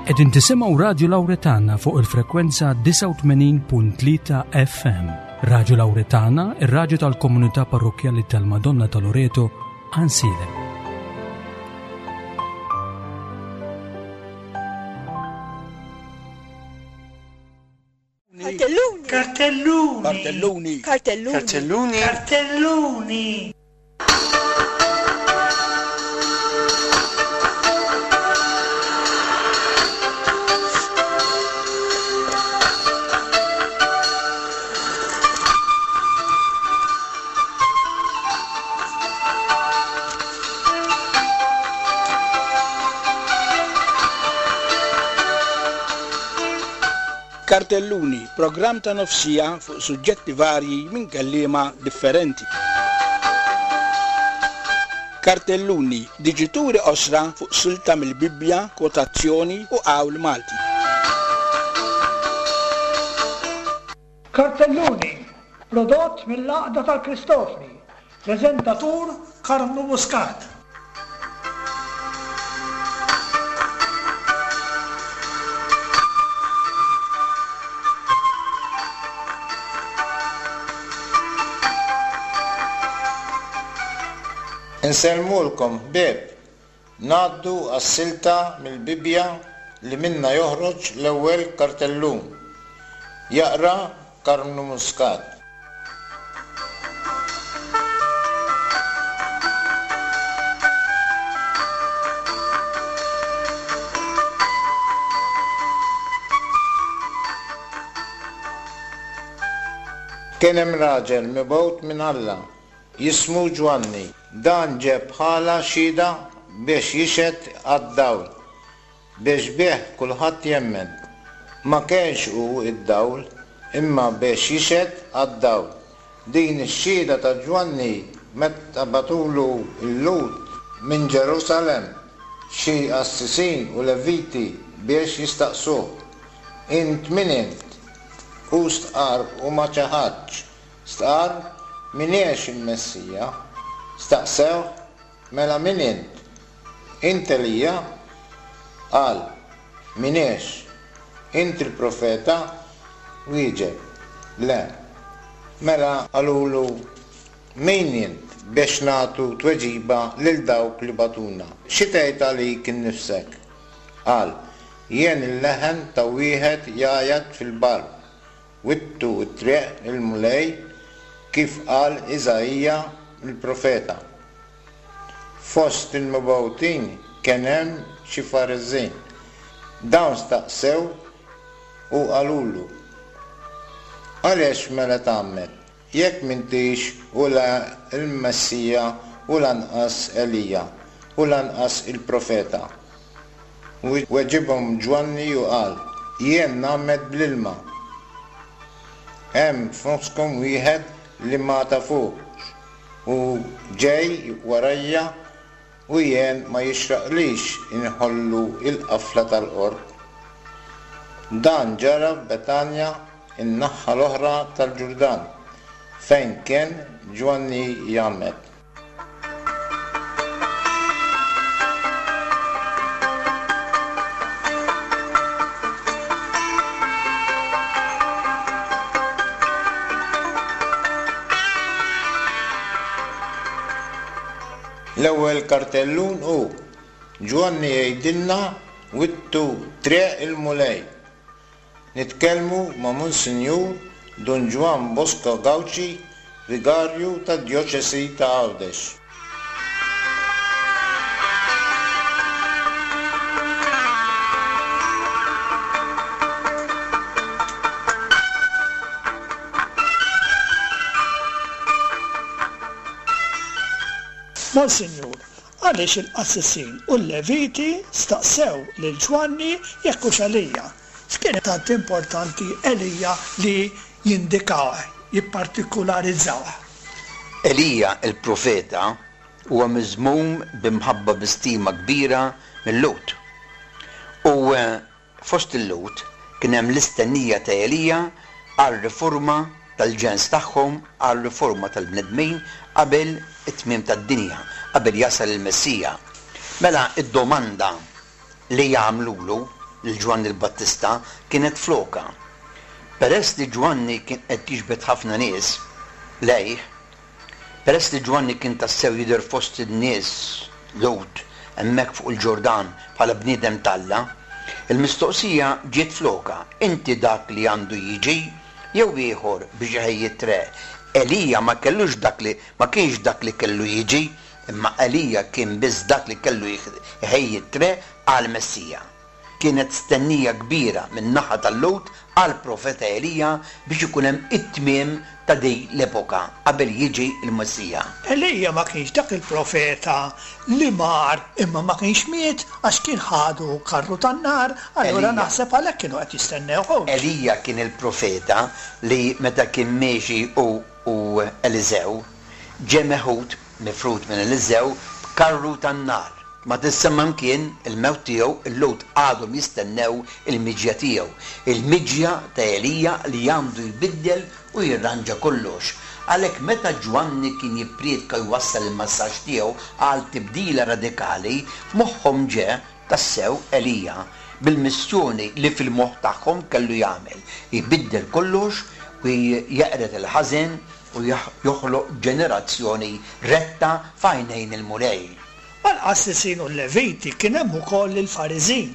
Qegħdin tisimgħu Radju Lawretana fuq il-frekwenza 89.3 FM. Radju Lawretana, ir-radju tal-komunità parrokkjali tal-Madonna ta' Loreto, Ansilem. Kartelluni. Kartelluni. Kartelluni. Kartelluni. Kartelluni. Kartelluni. Kartelluni, programm ta' nofsija fuq suġġetti varji minn kelliema differenti. Kartelluni, diġituri qosra fuq silta mill-Bibbja, kwotazzjoni u qawl Malti. Kartelluni, prodott mill-Għaqda tal-Kristofni, preżentatur Karmnu Muscat. Insellmulkom ħbieb! Ngħaddu għas-silta mill-Bibbja li minnha joħroġ l-ewwel kartellun. Jaqra Karmnu Muscat. Kien hemm raġel mibgħut minn Alla, jismu Ġwanni. Dan ġie bħala xhieda biex jixhed għad-dawl, biex bih kulħadd jemmen. Ma kienx hu d-dawl, imma biex jixhed għad-dawl. Din ix-xhieda ta' Ġwanni meta bagħtulu l-Lhud minn Ġerusalemm xi qassisin u Leviti biex jistaqsuh, Int min int? Hu stqarr u ma ċaħadx, Stqarr, M'iniex il-Messija. Staqsewh, Mela min int? Int Elija? Qal, M'iniex. Int il-Profeta? Wieġeb, Le. Mela qalulu, Min int biex nagħtu tweġiba lil dawk li bagħtuna? Xi tgħid għalik innifsek? Qal, Jien il-leħen ta' wieħed jgħajjat fil-barr, Wittu t-triq lill-Mulej kif qal Iżaija l-profeta. Fost il-mibgħutin kien hemm xi Fariżin. Dawn staqsew u qalulu, Għaliex mela tgħammed, jekk m'intix u la l-Messija u lanqas Elija u lanqas il-profeta? Weġibhom Ġwanni u qal, Jien ngħammed bl-ilma. Hemm f'nofskom wieħed li ma tafuhx, hu ġej warajja u jien ma jixraqlix inħollu l-qafla tal-qorq. Dan ġara f'Betanja n-naħa l-oħra tal-Ġurdan, fejn kien Ġwanni jgħammed. L-ewwel kartellun hu, Ġwanni jgħidilna wittu triq il-Mulej. Nitkellmu ma' Monsinjur Dun Ġwann Bosco Gauci, Vigarju tad-Djoċesi ta' Għawdex. Monsinjur, għaliex il-qassisin u l-Leviti staqsew lil Ġwanni jekk hux Elija? X'kien tant importanti Elija li jindikawh, jippartikularizzawh? Elija l-profeta huwa miżmum bi mħabba bi stima kbira mil-Lhud. U fost il-Lhud kien hemm l-istennija ta' Elija għar-riforma tal-ġens tagħhom, għar-riforma tal-bnedmin qabel it-tmiem tad-dinja, qabel jasal il-Messija. Mela d-domanda li jagħmlulu. lil Ġwanni l-Battista kienet flokha. Peress li Ġwanni kien qed jiġbed ħafna nies lejh, peress li Ġwanni kien tassew jidher fost in-nies Lhud hemmhekk fuq il-Ġordan bħala bniedem t'Alla, il-mistoqsija ġiet flokha, Inti dak li għandu jiġi, jew ieħor biex iħejji t-treq? Elija ma kellux dak li ma kienx dak li kellu jiġi, imma Elija kien biss dak li kellu jħejji t-treq għall-Messija. Kienet stennija kbira min-naħa tal-Lhud għall-profeta Elija biex ikun hemm it-tmiem ta' din l-epoka qabel jiġi l-Messija. Elija ma kienx dak il-profeta li mar imma ma kienx miet għax kien ħadu karru tan-nar, allura naħseb għalhekk kienu qed jistennewh hux? Elija kien il-profeta li meta kien miexi hu u Eliżew, ġie meħud, mifrud minn Eliżew, b'karru tan-nar. Ma tissemma mkien il-mewt tiegħu, il-Lhud għadhom jistennew il-miġja tiegħu, il-miġja ta' Elija li għandu jbiddel u jirranġa kollox. Għalhekk meta Ġwanni kien jipprietka u jwassal il-messaġġ tiegħu għal tibdila radikali, f'moħħhom ġe tassew Elija bil-missjoni li fil-moħħ tagħhom kellu jagħmel, jbiddel kollox u jeqred il-ħażen u joħloq ġenerazzjoni retta f'għajnejn il-Mulej. Mal-qassisin u l-Leviti kien hemm ukoll il-Fariżin.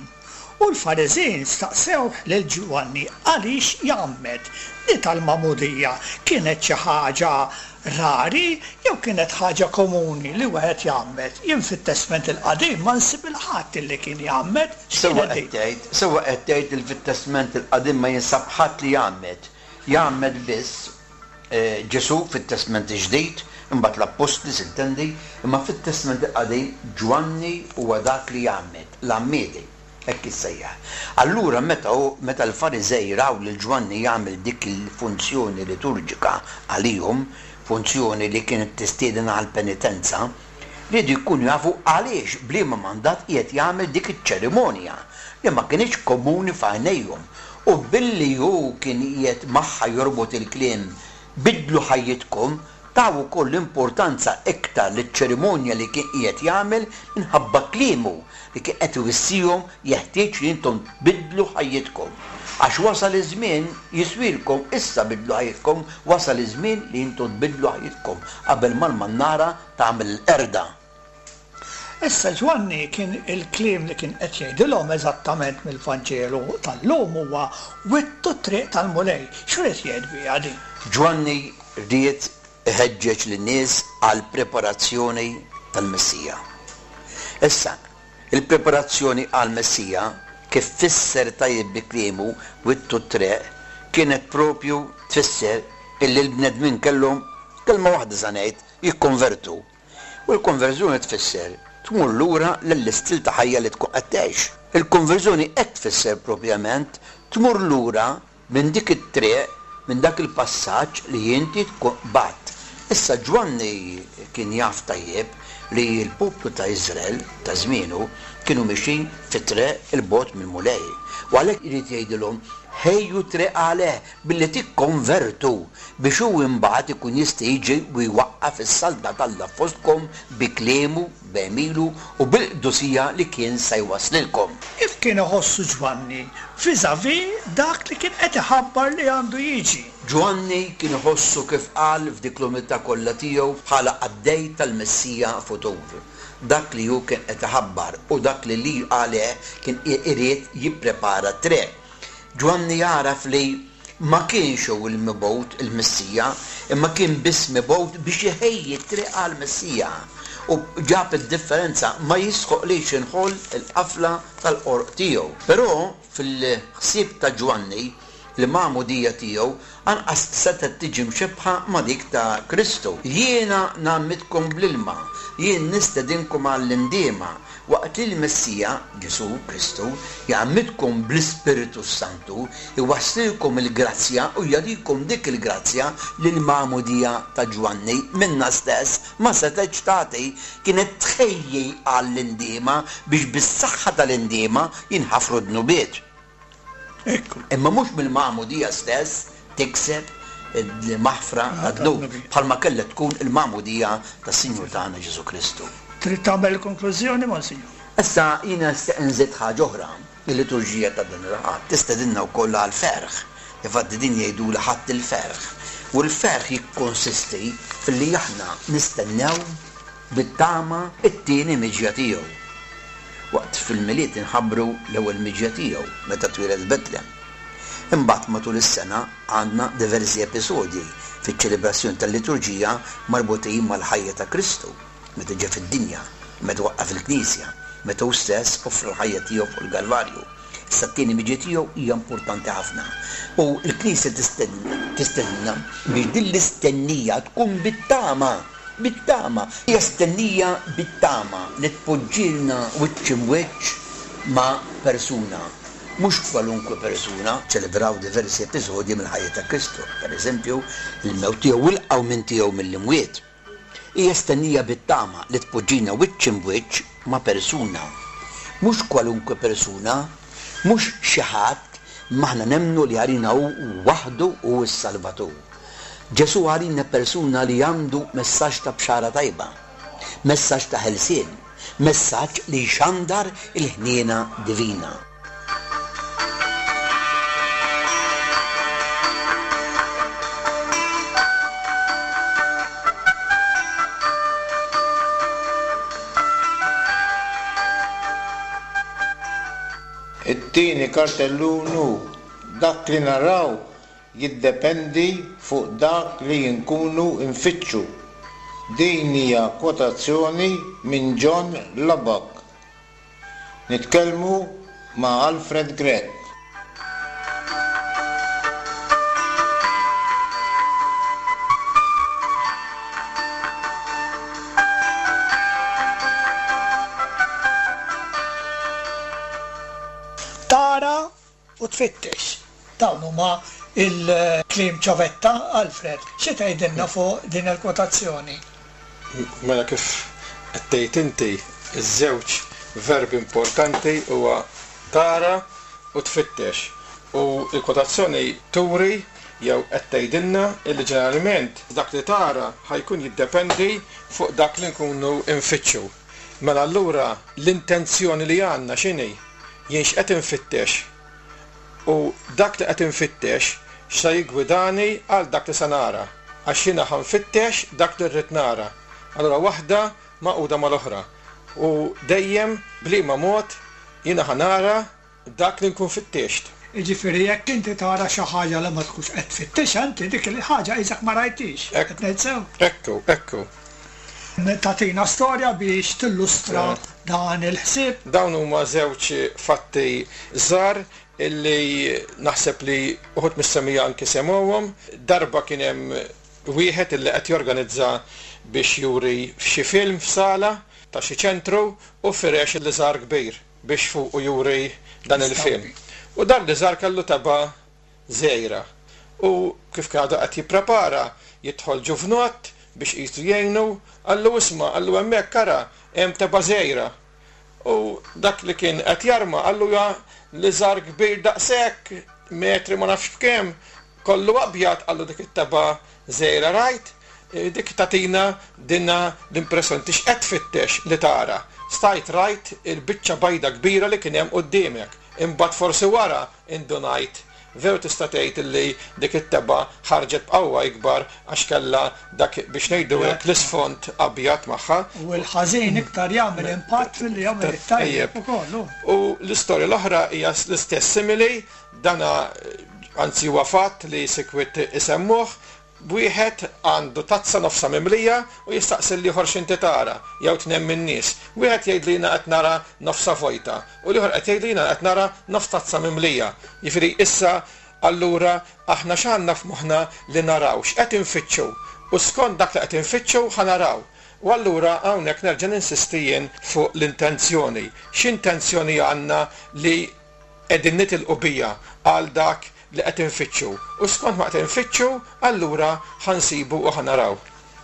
U l-Fariżin staqsewh lil Ġwanni għaliex jgħammed. Di tal-magħmudija kienet xi ħaġa rari jew kienet ħaġa komuni li wieħed jgħammed? Jien fit-Testment il-Qadim ma nsib 'il ħadd illi kien jgħammed. Sewwa X'kienet qed din? tgħid, sewwa qed tgħid li fit-Testment il-Qadim ma jinsab ħadd li jgħammed. Jgħammed biss Ġesù fit-Testment il-Ġdid, imbagħad l-Appostli sintendi, imma fit-Testment il-Qadim Ġwanni huwa dak li jgħammed, l-għammiedi, hekk jissejjaħ. Allura meta hu, meta l-Fariżej raw lil Ġwanni jagħmel dik il-funzjoni liturġika għalihom, funzjoni li kienet tistieden għall-penitenza, riedu jkunu jafu għaliex, b'liema mandat qiegħed jagħmel dik iċ-ċerimonja li ma kinitx komuni f'għajnejhom U billi hu kien qiegħed magħha jorbot il-kliem Biddlu ħajjitkom, taw ukoll importanza iktar liċ-ċerimonja li kien qiegħed jagħmel minħabba kliemu li kien qed iwissihom Jeħtieġ li intom tbiddlu ħajjitkom, għax wasal iż-żmien, jiswielkom, issa biddlu ħajjitkom, wasal iż-żmien li intom tbiddlu ħajjitkom qabel ma l-mannara tagħmel il-qerda. Issa Ġwanni kien il-kliem li kien qed jgħidilhom eżattament mill-Vanġelu tal-lum huwa wittu t-triq tal-Mulej. X'ried jgħid biha din? Ġwanni ried iħeġġeġ lin-nies għall-preparazzjoni tal-Messija. Issa, il-preparazzjoni għall-Messija, kif fisser tajjeb bi kliemu wittu t-triq, kienet propju tfisser illi l-bnedmin kellhom, kelma waħda sa ngħid, jikkonvertu. U l-konverżjoni tfisser tmur lura lill-istil ta' ħajja li tkun qed tgħix. Il-konverżjoni hekk tfisser propjament tmur lura minn dik it-triq, minn dak il-passaġġ li inti tkun qbadt. Issa Ġwanni kien jaf tajjeb li l-poplu ta' Iżrael ta' żmienu kienu mixjin fi triq 'il bogħod mill-Mulej. U għalhekk irid jgħidilhom, Ħejju triq għalih billi tikkonvertu, biex hu imbagħad ikun jista' jiġi u jwaqqaf is-saltna t'Alla fostkom bi kliemu, b'għemilu u bil-qdusija li kien sa jwasslilkom. Kif kien iħossu Ġwanni vis-à-vis dak li kien qed iħabbar li għandu jiġi? Ġwanni kien iħossu kif qal f'dik l-umiltà kollha tiegħu bħala qaddej tal-Messija futur, dak li hu kien qed iħabbar u dak li li għalih kien irid jipprepara t-triq. Ġwanni jagħraf li ma kienx hu l-mibgħut, il-Messija, imma kien biss mibgħut biex iħejji t-triq għall-Messija. U ġab id-differenza, ma jistħoqlix inħoll il-qafla tal-qorq tiegħu. Però fil-ħsieb ta' Ġwanni, il-magħmudija tiegħu anqas setgħet tiġi mxebbħa ma' dik ta' Kristu. Jiena ngħammidkom bl-ilma, jien nistedinkom għall-indiema, Waqt li l-Messija, Ġesù Kristu, jgħammidkom bl-Ispirtu s-Santu, iwasslilkom il-grazzja u jagħtikom dik il-grazzja li l-magħmudija ta' Ġwanni minnha stess ma setgħetx tagħti, kienet tħejji għall-indiema biex bis-saħħa tal-indiema jinħafru d-dnubiet. Imma mhux mill-magħmudija stess tikseb il-maħfra tad-dnub, bħalma kellha tkun il-magħmudija tas-Sinjur tagħna Ġesù Kristu. Trid tagħmel il-konklużjoni, Monsinjur? Issa jiena nixtieq inżid ħaġa oħra. Il-liturġija ta' dan il-Ħadd tistedinna wkoll għall-ferħ. Infatti din jgħidulha Ħadd il-Ferħ. U l-ferħ jikkonsisti filli aħna nistennew bit-tama t-tieni miġja tiegħu. Waqt fil-Milied inħabbru l-ewwel miġja tiegħu meta twieled f'Betlem. Imbagħad matul is-sena għandna diversi episodji fiċ-ċelebrazzjoni tal-liturġija marbutin mal-ħajja ta' Kristu meta ġie fid-dinja, meta waqqaf il-Knisja, meta hu stess offra l-ħajja tiegħu fuq il-Kalvarju. Issa t-tieni miġja tiegħu hija importanti ħafna. U l-Knisja tistedinna biex din l-istennija tkun bit-tama, bit-tama. Hija stennija bit-tama li tpoġġilna wiċċ imwiċċ ma' persuna. Mhux kwalunkwe persuna. Ċelebraw diversi episodji mill-ħajja ta' Kristu, pereżempju, il-mewt tiegħu u l-qawmien tiegħu mill-imwiet. Hija stennija bit-tama li tpoġġina wiċċ imb'wiċċ ma' persuna. Mhux kwalunkwe persuna, mhux xi ħadd, imma aħna nemmnu li għalina hu waħdu hu s-Salvatur. Ġesù għalina persuna li għandu messaġġ ta' bxara tajba, messaġġ ta' ħelsien, Messaġġ li jxandar il-ħniena divina. It-tieni kartellun hu dak li naraw jiddependi fuq dak li nkunu nfittxu. Din hija kwotazzjoni minn John Lubbock. Nitkellmu ma' Alfred Grech. Tara u tfittex. Dawn huma l-kliem ċavetta, Alfred. Xi tgħidilna fuq din il-kwotazzjoni? Mela kif qed tgħid inti, iż-żewġ verbi importanti huwa tara u tfittex. U l-kwotazzjoni turi jew qed tgħidilna illi ġeneralment dak li tara ħa jkun jiddependi fuq dak li nkunu nfittxu. Mela allura l-intenzjoni li għandna x'inhi? Jien x'qed infittex? U dak li qed infittex x'sa jiggwidani għal dak li sa nara? Għax jiena ħa nfittex dak li rrid nara. Allura waħda magħquda mal-oħra. U dejjem b'liema mod jiena ħa nara dak li nkun fittixt. Jiġifieri jekk inti tara xi ħaġa li ma tkunx qed tfittixha inti dik il-ħaġa qisek ma rajthiex. Qed ngħid sew? Hekk hu, hekk hu. Tagħtina storja biex tillustra dan il-ħsieb? Dawn huma żewġ fatti żgħar illi naħseb li uħud mis-semmiegħa anki semgħuhom. Darba kien hemm wieħed illi qed jorganizza biex juri xi film f'sala ta' xi ċentru u firex liżar kbir biex fuqu juri dan il-film. U dan l-liżar kellu tebgħa żgħira. U kif kien għadu qed jipprepara, jidħol ġuvnott biex qisu jgħinu, qallu isma', qallu hemmhekk ara, hemm tebgħa żgħira. U dak li kien qed jarma qallu ja liżar kbir daqshekk, metri ma nafx b'kemm, kollu abjad, qallu dik it-tebgħa żgħira rajt? Dik tagħtina dinha l-impressjoni, inti x'qed tfittex li tara? Stajt rajt il-biċċa bajda kbira li kien hemm quddiemek, imbagħad forsi wara Indunajt, veru tista' tgħid illi dik it-tebgħa ħarġet b'qawwa ikbar għax kellha dak, biex ngħidu hekk, l-isfond abjad magħha. U l-ħażin iktar jagħmel impatt milli jagħmel it-tajjeb ukoll, hu. U l-istorja l-oħra hija l-istess simili, dana anzi huwa fatt li sikwit isemmuh, Wieħed għandu tazza nofsha mimlija u jistaqsi lill-ieħor x'inti tara, jew tnejn min-nies. Wieħed jgħidlu jiena qed nara nofsha vojta u l-ieħor qed jgħidlu jiena qed nara nofs tazza mimlija. Jiġifieri issa allura aħna x'għandna f'moħħna li naraw, x'qed infittxu u skont dak li qed infittxu ħa naraw. U allura hawnhekk nerġa' ninsisti jien fuq l-intenzjoni. X'intenzjoni għandna li qegħdin nitilqu biha għal dak li qed infittxu, u skont ma qed infittxu, allura ħa nsibu u ħa naraw.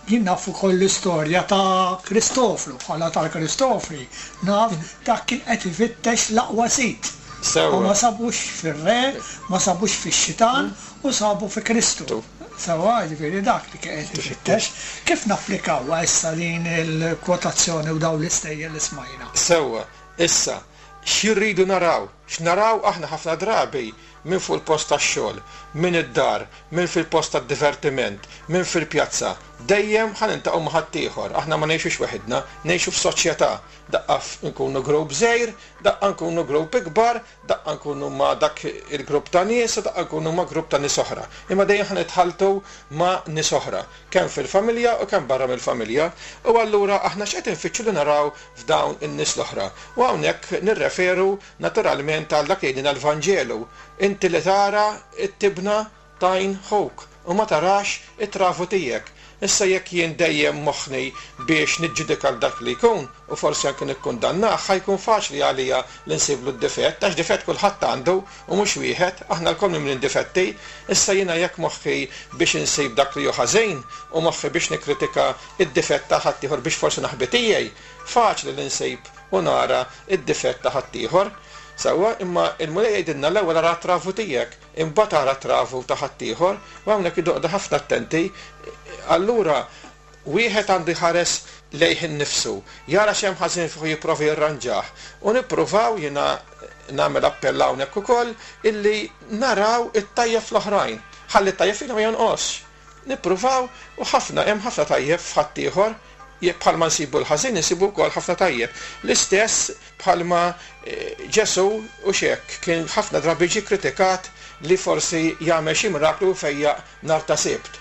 Jien naf ukoll l-istorja ta' Kristofru, bħala tal-Kristofri, naf dak kien qed ifittex l-aqwa sid. Sewwa. U ma sabux fir-re, ma sabux fix-xitan, u sabu fi Kristu. Sewwa, jiġifieri dak li kien qed ifittex. Kif napplikawha issa din il-kwotazzjoni u dawn l-istejjer li smajna? Sewwa. Issa, Xi rridu naraw? X'naraw aħna ħafna drabi minn fuq il-post tax-xogħol, minn id-dar, minn fil-post tad-divertiment, minn fil-pjazza, dejjem ħa niltaqgħu ma' ħaddieħor. Aħna ma ngħixux weħidna, ngħixu f'soċjetà. Daqqa nkunu grupp żgħir, daqqa nkunu grupp ikbar, daqqa nkunu ma' dak il-grupp ta' nies u daqqa nkunu ma' grupp ta' nies oħra. Imma dejjem ħa nitħalltu ma' nies oħra, kemm fil-familja u kemm barra mill-familja. U allura aħna x'qed infittxu li naraw f'dawn in-nies l-oħra? U hawnhekk nirreferu naturalment għal dak li jgħidilna l-Vanġelu, Inti li tara t-tibna t'għajn ħuk u ma tarax it-travu tiegħek. Issa jekk jien dejjem moħħni biex niġġudika 'l dak li jkun u forsi anki nikkundannah, ħa jkun faċli għalija li nsiblu d-difett, għax difett kulħadd għandu u mhux wieħed, aħna lkoll mimlin difetti. Issa jiena jekk moħħi biex insib dak li hu ħażin u moħħi biex nikkritika d-difett ta' ħaddieħor biex forsi naħbi tiegħi, faċli li nsib u nara d-difett ta' ħaddieħor. Sewwa, imma l-Mulej jgħidilna l-ewwel ara t-travu tiegħek. Imbagħad ara t-travu ta' ħaddieħor, u hawnhekk irridu noqogħdu ħafna attenti. Allura wieħed għandu jħares lejh innifsu, jara x'hemm ħażin fih u jipprova jirranġah. U nippruvaw, jiena nagħmel appell hawnhekk ukoll, illi naraw it-tajjeb fl-oħrajn. Ħalli t-tajjeb fina ma jonqosx. Nippruvaw, u ħafna, hemm ħafna tajjeb f'ħaddieħor, jekk bħalma nsibu l-ħażin insibu wkoll ħafna tajjeb. L-istess bħalma Ġesù, hux hekk, kien ħafna drabi ġie kkritikat li forsi jagħmel xi miraklu u jfejjaq nhar ta' Sibt.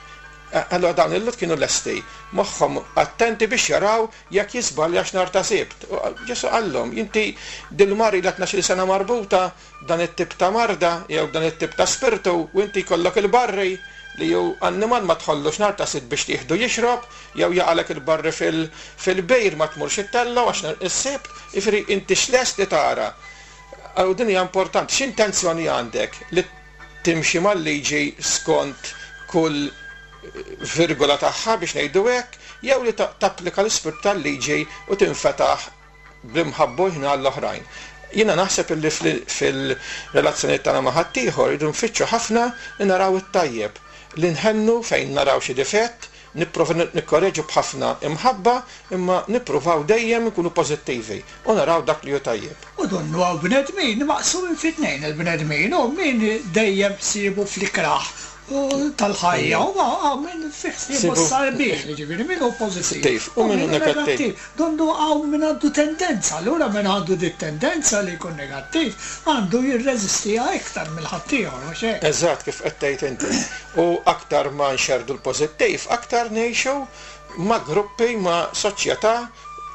Allura dawn il-Lhud kienu lesti, moħħhom attenti biex jaraw jekk jiżbaljax nhar ta' Sibt. U Ġesù qallhom, Inti dil-mara ilha tnax-il sena marbuta b'dan it-tip ta' marda jew b'dan it-tip ta' spirtu u inti jkollok il-barri li hu annimal ma tħollux nhar ta' Sibt biex tieħdu jixrob jew jaqalek il-barri fil-bir ma tmurx ittellgħu għax nhar is-Sibt, jiġifieri inti x'lest li tara. U din hija importanti, x'intenzjoni għandek li timxi mal-liġi skont kull virgola tagħha biex ngħidu hekk, jew li tapplika l-ispirtu tal-liġi u tinfetaħ bl-imħabba u l-ħniena għall-oħrajn. Jiena naħseb illi fil-relazzjonijiet tagħna ma' ħaddieħor irridu nfittxu ħafna li naraw it-tajjeb, li nħennu fejn naraw xi difett, nipprova nikkoreġu b'ħafna imħabba imma nippruvaw dejjem inkunu pożittivi u naraw dak li hu tajjeb. U donnu hawn bnedmin maqsumin fi tnejn il-bnedmin, u min dejjem ħsiebu fl-ikrah tal-ħajja u hawn min fi ħsiebu s-sabiħ, jiġifieri min hu pożittiv u min hu negattiv. Donnu hawn min għandu tendenza, allura min għandu dit-tendenza li jkun negattiv għandu jirreżistiha iktar mill ħaddieħor, mhux hekk? Eżatt kif qed tgħid inti. U aktar ma nxerrdu l-pożittiv, aktar ngħixu ma' gruppi, ma' soċjetà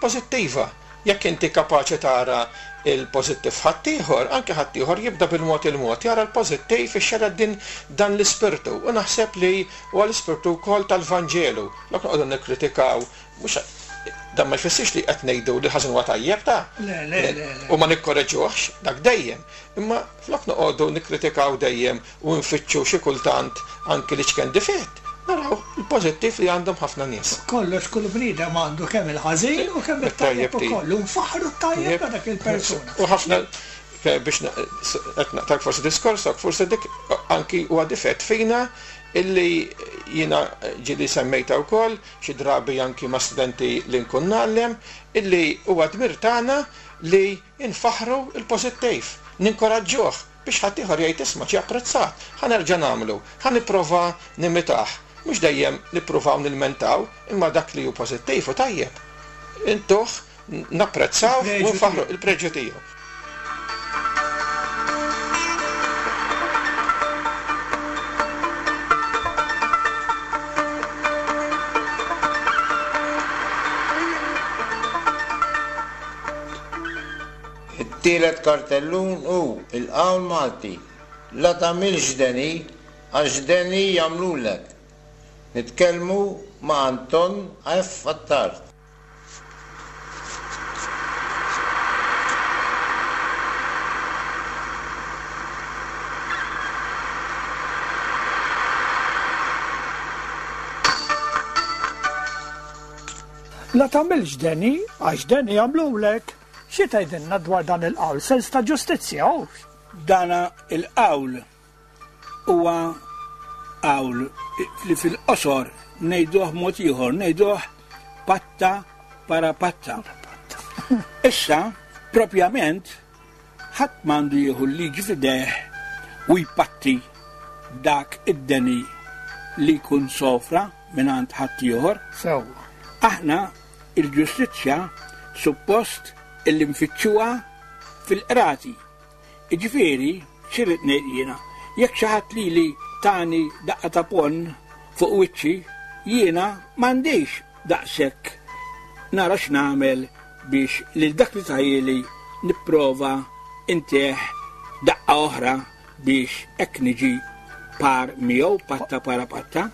pożittiva. Jekk inti kapaċi tara l-pożittiv f'ħaddieħor, anke ħaddieħor jibda bil-mod il-mod jara l-pożittiv ixxerred din dan l-ispirtu. U naħseb li huwa l-ispirtu wkoll tal-Vanġelu. Flok noqogħdu nikkritikaw, mhux dan ma jfissirx li qed ngħidu li l-ħażin huwa tajjeb ta'. Le, le, le, le. U ma nikkoreġuhx, dak dejjem. Imma flok noqogħdu nikkritikaw dejjem u nfittxu xi kultant anki l-iċken difett, naraw il-pożittiv li għandhom ħafna nies. Kollox kull bniedem għandu kemm il-ħażin u kemm it-tajjeb ukoll u nfaħħru t-tajjeb ta' dak il-persuna. U ħafna biex qed naqtgħek forsi diskorsok, forsi dik anki huwa difett fina illi jiena ġieli semmejtha wkoll xi drabi anki ma' studenti li nkun ngħallem, illi huwa dmir tagħna li nfaħħru l-pożittiv, ninkoraġġuh. Biex ħaddieħor jgħid isma' ġie apprezzat, ħa nerġa' nagħmlu, ħa nipprova nimitah. Mhux dejjem nippruvaw nilmentaw, imma dak li hu pożittiv u tajjeb, intuh, napprezzawh u nfaħħruh, il-preġju tiegħu. It-tielet kartellun hu l-qawl Malti, La tagħmilx deni għax deni jagħmlulek. Nitkellmu ma' Anton F. Attard. La tagħmilx deni għax deni jagħmlulek. Xi tgħidilna dwar dan il-qawl, sens ta' ġustizzja, hux? Dana il-qawl huwa qawl li fil-qosor ngħiduh mod ieħor, ngħiduh patta para patta. Issa, propjament, Ħadd m'għandu jieħu l-liġi f'idejh u jpatti dak id-deni li jkun sofra mingħand ħaddieħor. Sewwa. Aħna il-ġustizzja suppost illi nfittxuha fil-qrati. Jiġifieri, x'irrid ngħid jiena, jekk xi ħadd lili tani daqqa ta' ponn fuq wiċċi, jiena m'għandix daqshekk nara x'nagħmel biex lil dak li tahieli nipprova ntih daqqa oħra biex hekk niġi par miegħu patta para patta.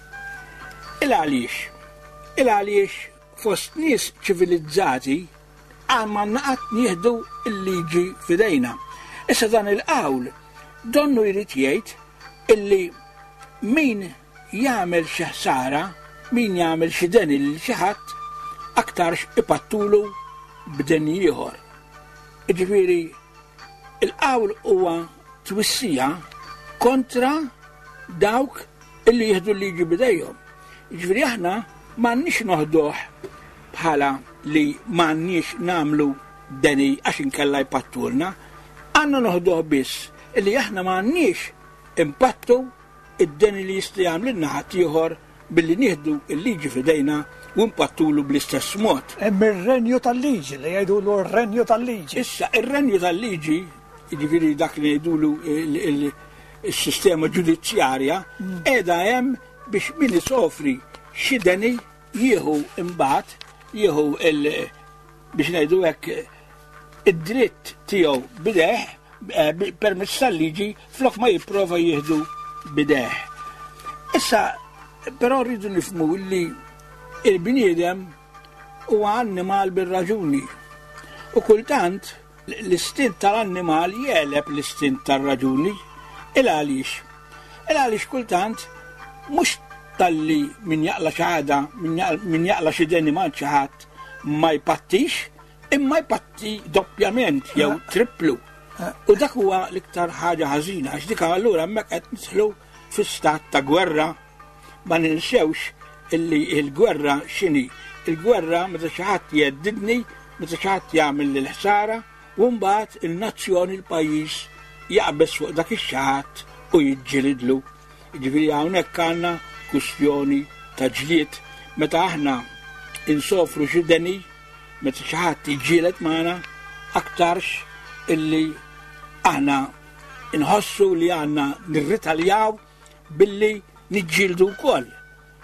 Il għaliex? Il għaliex fost nies ċivilizzati m'għandna qatt nieħdu l-liġi f'idejna. Issa dan il-qawl donnu jrid jgħid illi min jagħmel xi ħsara, min jagħmel xi deni lil xi ħadd, aktarx ipattulu b'deni ieħor. Jiġifieri il-qawl huwa twissija kontra dawk illi jieħdu l-liġi b'idejhom. Jiġifieri aħna m'għandniex noħduh bħala li m'għandniex nagħmlu deni għax inkella jpattulna, għandna noħduh biss illi aħna m'għandniex impattu id-deni li jista' jagħmlilna ħaddieħor billi nieħdu l-liġi f'idejna u npattulu bl-istess mod. Hemm ir-renju tal-liġi li jgħidulu r-renju tal-liġi. Issa, ir-renju tal-liġi, jiġifieri dak li ngħidulu s-sistema ġudizzjarja, qiegħda hemm biex min isofri xi deni jieħu imbagħad jieħu il biex ngħidu hekk id-dritt tiegħu b'idejh eh, permezz tal-liġi flok ma jipprova jieħdu b'idejh. Issa, però rridu nifhmu li il-bniedem huwa annimal bir-raġuni. U kultant l-istint tal-annimal jegħleb l-istint tar-raġuni. Il għaliex? Il għaliex kultant mhux talli min jaqla xi ħaġa, min jaqla xi deni ma' xi ħadd ma jpattix, imma jpatti doppjament jew triplu. U dak huwa l-iktar ħaġa ħażina għax dik allura hemmhekk qed nidħlu fi stat ta' gwerra. Ma ninsewx illi l-gwerra x'inhi? Il-gwerra meta xi ħadd jheddidni, meta xi ħadd jagħmel lil ħsara, u mbagħad il-nazzjon il-pajjiż jaqbeż fuq dak ix-xi ħadd u jiġġielidlu. Jiġifieri hawnhekk għandna kwistjoni ta' ġlied meta aħna insofru xi deni, meta xi ħadd jiġġieled magħna, aktarx illi aħna nħossu li għandna nirritaljaw billi niġġieldu wkoll,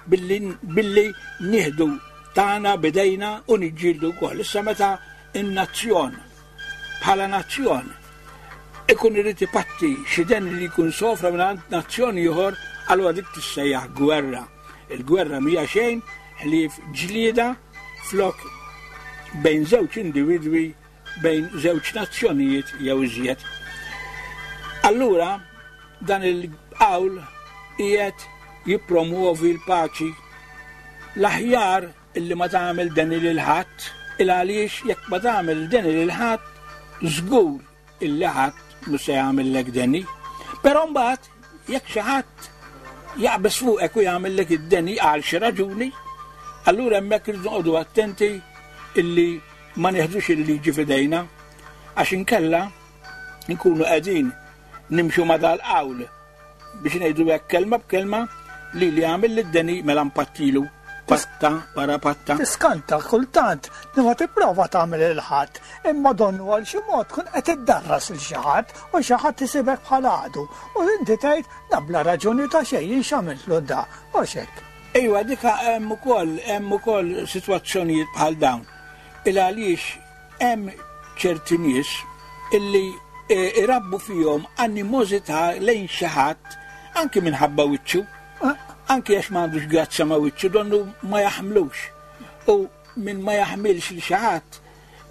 billi, billi nieħdu tagħna bidejna u niġġieldu wkoll. Issa meta n-nazzjon bħala nazzjon ikun irid ipatti xi den li jkun sofra minn nazzjon ieħor, allura dik tissejjaħ gwerra. Il-gwerra mhija xejn ħlief ġlieda flok bejn żewġ individwi bejn żewġ nazzjonijiet jew iżjed. Allura dan il-qawl qiegħed jippromwovi l-paċi. L-aħjar illi ma tagħmel deni lil ħadd, il għaliex jekk ma tagħmel deni lil ħadd, żgur illi ħadd mhux se jagħmellek deni. Però mbagħad jekk xi ħadd jaqbeż fuqek u jagħmellek id-deni għal xi raġuni, allura hemmhekk irridu noqogħdu attenti illi ma nieħdux il-liġi f'idejna għax inkella nkunu qegħdin nimxu ma' dal-qawl biex ngħidu hekk kelma b'kelma li li għamil lid-deni mela mpattilu patta wara patta. Tiskanta kultant li ma tipprova tagħmel il ħadd, imma donnu għal xi mod tkun qed iddarras lil xi ħadd u xi ħadd isibek bħal għadu u inti tgħid da bla raġuni ta' xejn jien x'għamiltlu da, hux hekk. Ejwa, dika hemm ukoll hemm ukoll sitwazzjonijiet bħal dawn. Il għaliex hemm ċerti nies illi e, irabbu fihom animożità lejn xi ħadd anki minħabba wiċċu, anki għax ma għandux grazzja ma' wiċċu, donnu ma jaħmlux. U min ma jaħmilx li xi ħadd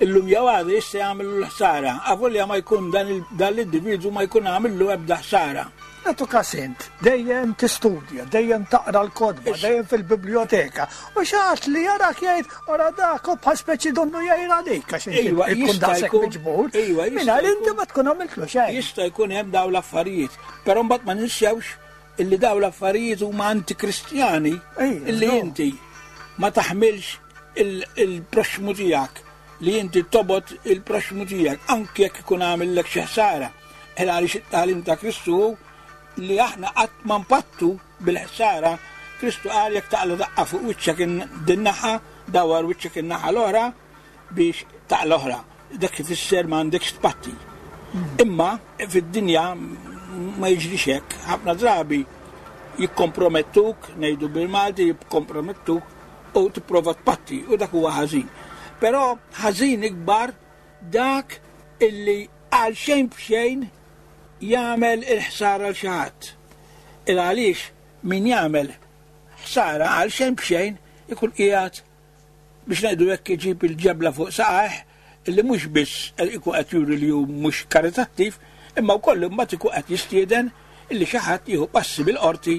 illum jew għada jista' jagħmillu l-ħsara, avolja ma jkun dan l-individwu ma jkun għamillu ebda ħsara. Nagħtu każ int, dejjem tistudja, dejjem taqra l-kotba, dejjem fil-biblioteka, u xi ħadd li jarak jgħid ora dak u bħal speċi donnu jgħir għalik għax inti Ejwa, ikun jista' daqshekk jkun- miġbur. Ejwa, jista' Mingħajr inti jkun- ma tkun għamiltlu xejn. Jista' jkun hemm dawn l-affarijiet, però mbagħad ma ninsewx illi dawn l-affarijiet huma antikristjani Ejja, illi no. inti ma taħmilx il-proxxmu tiegħek. li inti tobgħod il-proxxmu tiegħek anke jekk ikun għamillek xi ħsara. Il għaliex it-tagħlim ta' Kristu hu li aħna qatt ma npattu bil-ħsara. Kristu qal jekk taqla' daqqa fuq wiċċek din naħa, dawwar wiċċek in-naħa l-oħra biex taqla' oħra. Dak ifisser ma għandekx tpatti. Imma fid-dinja ma jiġrix hekk. Ħafna drabi jikkompromettuk, ngħidu bil-Malti, jikkompromettuk u tipprova tpatti u dak huwa ħażin. Però ħażin ikbar dak illi għal xejn b'xejn jagħmel il-ħsara l xi ħadd. Il għaliex min jagħmel ħsara għal xejn b'xejn ikun qiegħed biex ngħidu hekk iġib il-ġebla fuq saqajh illi mhux biss ikun qed juri li hu mhux karitattiv, imma wkoll imbagħad ikun qed jistieden illi xi ħadd jieħu passi bil-qorti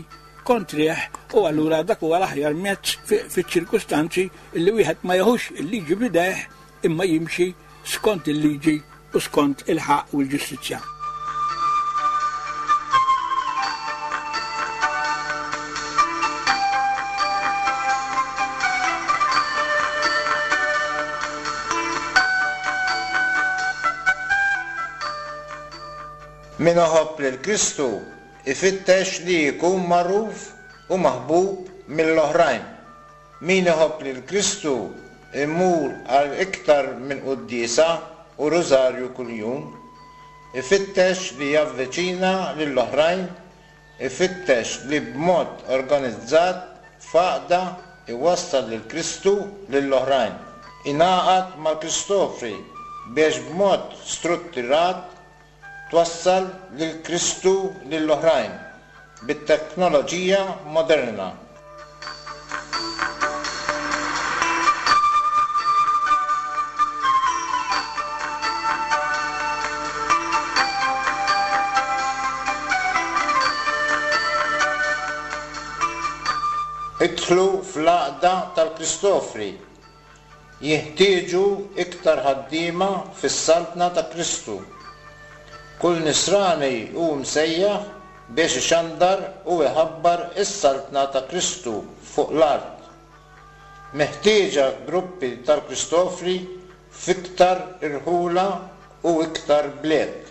kontrih u allura dak huwa l-aħjar mezz fiċ-ċirkustanzi illi wieħed ma jeħux il-liġi b'idejh imma jimxi skont il-liġi u skont il-ħaqq u l-ġustizzja. Min iħobb lil Kristu jfittex li jkun magħruf u maħbub mill-oħrajn. Min iħobb lil Kristu jmur għal iktar minn quddiesa u rużarju kuljum. Ifittex li javviċina lill-oħrajn, ifittex li b'mod organizzat f'għaqda jwassal lil Kristu lill-oħrajn. Ingħaqad mal-Kristofri biex b'mod struttirat twassal lil Kristu lill-oħrajn bit-teknoloġija moderna. Idħlu fl-Għaqda tal-Kristofri Jinħtieġu iktar ħaddiema fis-Saltna ta' Kristu. Kull Nisrani hu msejjaħ biex ixandar u iħabbar is-Saltna ta' Kristu fuq l-art. Meħtieġa gruppi tal-Kristofri f'iktar irħula u iktar bliet.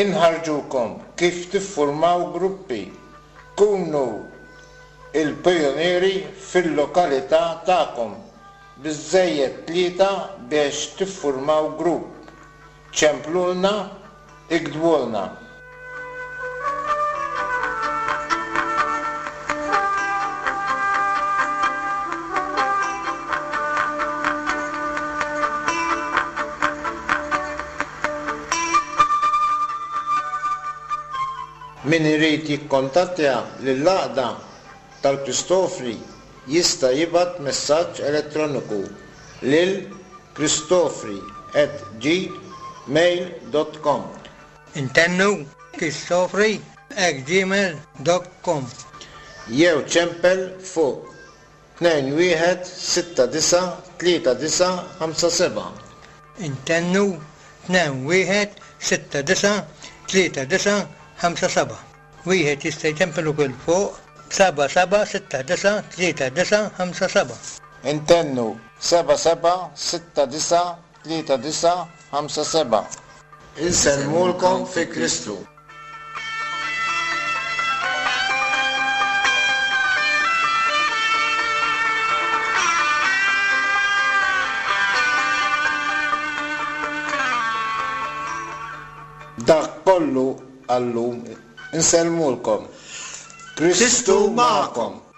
Inħarrġukom kif tiffurmaw gruppi. Kunu l-pijunieri fil-lokalità tagħkom. Biżżejjed tlieta biex tiffurmaw grupp. Ċemplulna, iktbulna. Min irid jikkontattja lill-Għaqda tal-Kristofri jista' jibgħat messaġġ elettroniku lil kristofri@gmail.com. Intennu, kristofri@gmail.com. Jew ċempel fuq 21693957. Intennu, 21693957. Wieħed jista' jċempel ukoll fuq 77693957. Intennu, 77693957. Insellmulkom fi Kristu. Dak kollu għal-lum. Insellmulkom. Kristu magħkom.